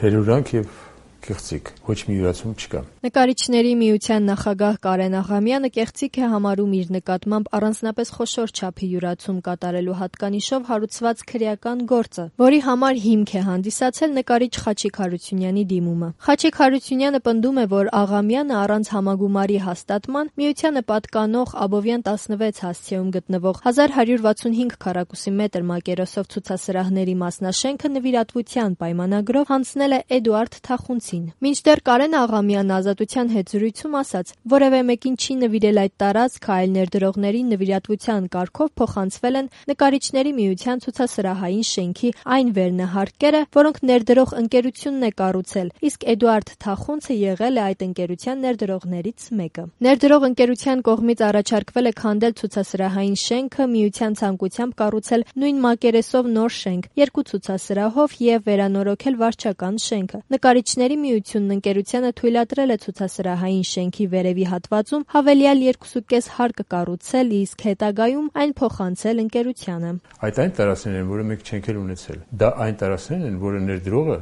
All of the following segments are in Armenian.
հերուրանք եւ կեղծիք, ոչ մի յուրացում չկա։ Նկարիչների միության նախագահ Կարեն Աղամյանը կեղծիք է համարում իր նկատմամբ առանձնապես խոշոր չափի յուրացում կատարելու հատկանիշով հարուցված քրեական գործը, որի համար հիմք է հանդիսացել նկարիչ Խաչիկ Հարությունյանի դիմումը։ Խաչիկ Հարությունյանը պնդում է, որ Աղամյանը առանց համագումարի հաստատման միությանը պատկանող Աբովյան 16 հասցեում գտնվող 1165 քառակուսի մետր մակերեսով ցուցասրահների մասնաշենքը նվիրատվության պայմանագրով հանձնել է Էդուարդ Թախունցին։ Մինչդեռ Կարեն Աղամյանն Ազատության հետ զրույցում ասաց, որևէ մեկին չի նվիրել այդ տարածքը, այլ ներդրողների նվիրատվության կարգով փոխանցվել են նկարիչների միության ցուցասրահային շենքի այն վերնահարկերը, որոնք ներդրող ընկերությունն է կառուցել, իսկ Էդուարդ Թախունցը եղել է այդ ընկերության ներդրողներից մեկը։ Ներդրող ընկերության կողմից առաջարկվել է քանդել ցուցասրահային շենքը, միության ցանկությամբ կառուցել նույն մակերեսով նոր շենք, 2 ցուցասրահով եւ վերանորոգել վարչական շենքը։ Նկարիչների միությունն ընկերությանը թույլատրել է ցուցասրահային շենքի վերևի հատվածում հավելյալ 2.5 հարկ կառուցել, իսկ հետագայում այն փոխանցել ընկերությանը։ Այդ այն տարածքներն են, որը մենք չենք էլ ունեցել։ Դա այն տարածքներն են, որը ներդրողը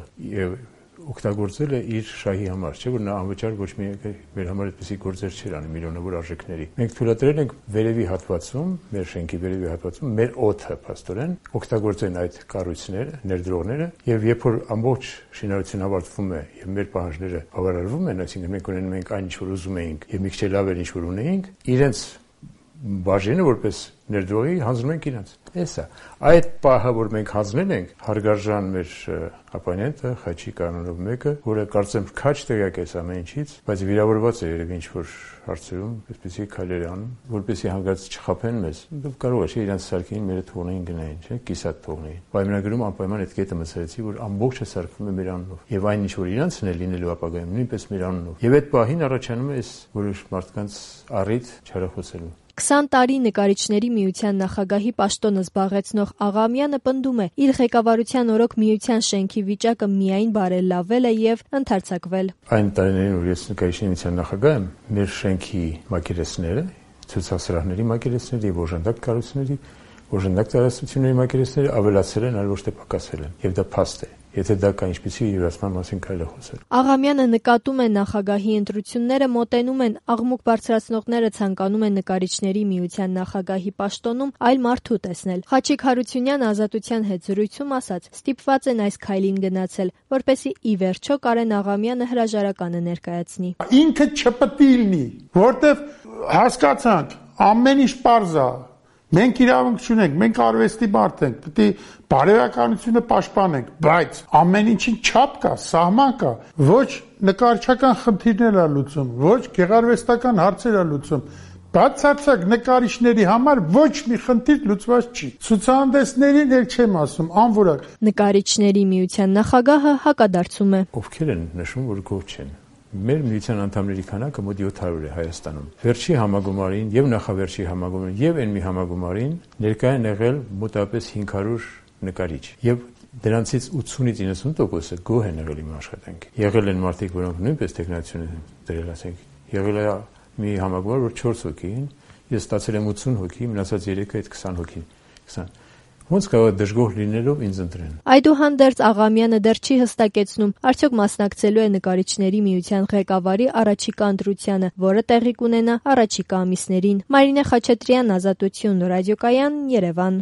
օգտագործել է իր շահի համար, չէ՞ որ նա անվճար ոչ մի մեր համար այդպիսի գործեր չէր անի միլիոնավոր արժեքների։ Մենք թույլատրել ենք վերևի հատվածում, մեր շենքի վերևի հատվածում մեր օդը փաստորեն օգտագործեն այդ կառույցները, ներդրողները, եւ երբ որ ամբողջ շինարարությունը ավարտվում է եւ մեր պահանջները բավարարվում են, այսինքն մենք ունենում ենք այն, ինչ որ ուզում էինք եւ մի քիչ լավ էր, ինչ որ ունեինք, իրենց բաժինը որպես ներդրողի հանձնում ենք իրենց։ Էսա այդ պահը, որ մենք հանձնել ենք, հարգարժան մեր ապոնենտը Խաչիկ անունով մեկը, որը կարծեմ քաչ տեղյակ է ամեն ինչից, բայց վիրավորված է երևի ինչ որ հարցերում, այսպեսի քայլեր անում, որպեսզի հանգած չխափեն մեզ։ Կարող է չէ իրենց սարքին մերը թողնեին գնային, չէ՞, կիսատ թողնեին։ Պայմանագրում անպայման այդ կետը մտցրեցի, որ ամբողջը սարքվում է մեր անունով։ Եվ այն ինչ որ իրենցն է լինելու ապագայում, նույնպես մեր անունով։ Եվ այդ պահին առաջանում է այս որոշ մարդկանց առիթ չարախոսելու։ 20 տարի նկարիչների միության նախագահի պաշտոնը զբաղեցնող Աղամյանը պնդում է, իր ղեկավարության օրոք միության շենքի վիճակը միայն բարելավել է եւ ընդարձակվել։ Այն տարիներին, որ ես նկարիչների միության նախագահ եմ, մեր շենքի մակերեսները, ցուցասրահների մակերեսները եւ օժանդակ կառույցների, օժանդակ տարածությունների մակերեսները ավելացել են, այլ ոչ թե պակասել են, եւ դա փաստ է։ Եթե դա կա ինչպեսի յուրացման մասին կարելի է խոսել։ Աղամյանը նկատում է նախագահի ընտրությունները մոտենում են, աղմուկ բարձրացնողները ցանկանում են նկարիչների միության նախագահի պաշտոնում այլ մարդու տեսնել։ Խաչիկ Հարությունյանը Ազատության հետ զրույցում ասաց, ստիպված են այս քայլին գնացել, որպեսզի ի վերջո Կարեն Աղամյանը հրաժարականը ներկայացնի։ Ինքը չպետք է լինի, որտեվ հասկացանք, ամեն ինչ պարզ է։ Մենք իրավունք չունենք, մենք արվեստի մարդ ենք, պետք է բարոյականությունը պաշտպանենք, բայց ամեն ինչին չափ կա, սահման կա, ոչ նկարչական խնդիրներ է լուծում, ոչ գեղարվեստական հարցեր է լուծում, բացարձակ նկարիչների համար ոչ մի խնդիր լուծված չի։ Ցուցահանդեսներին էլ չեմ ասում, անորակ։ Նկարիչների միության նախագահը հակադարձում է։ Ովքեր են նշում, որ գոհ չեն։ Մեր միության անդամների քանակը մոտ 700 է Հայաստանում։ Վերջի համագումարին եւ նախավերջի համագումարին եւ այն մի համագումարին ներկայ են եղել մոտավորապես 500 նկարիչ եւ դրանցից 80-ից 90%-ը գոհ են եղել իմ աշխատանքի։ Եղել են մարդիկ, որոնք նույնպես տեխնացիոն են դրել, ասենք, եղել է մի համագումար, որ 4 հոգի են, ես ստացել եմ 80 հոգի, մնացած 3-ը այդ 20 հոգին։ 20 Ոնց կարող է դժգոհ լինելով ինձ ընտրեն։ Այդուհանդերձ Աղամյանը դեռ չի հստակեցնում, արդյոք մասնակցելու է նկարիչների միության ղեկավարի առաջիկա ընտրությանը, որը տեղի կունենա առաջիկա ամիսներին։ Մարինե Խաչատրյան, Ազատություն, ռադիոկայան, Երևան։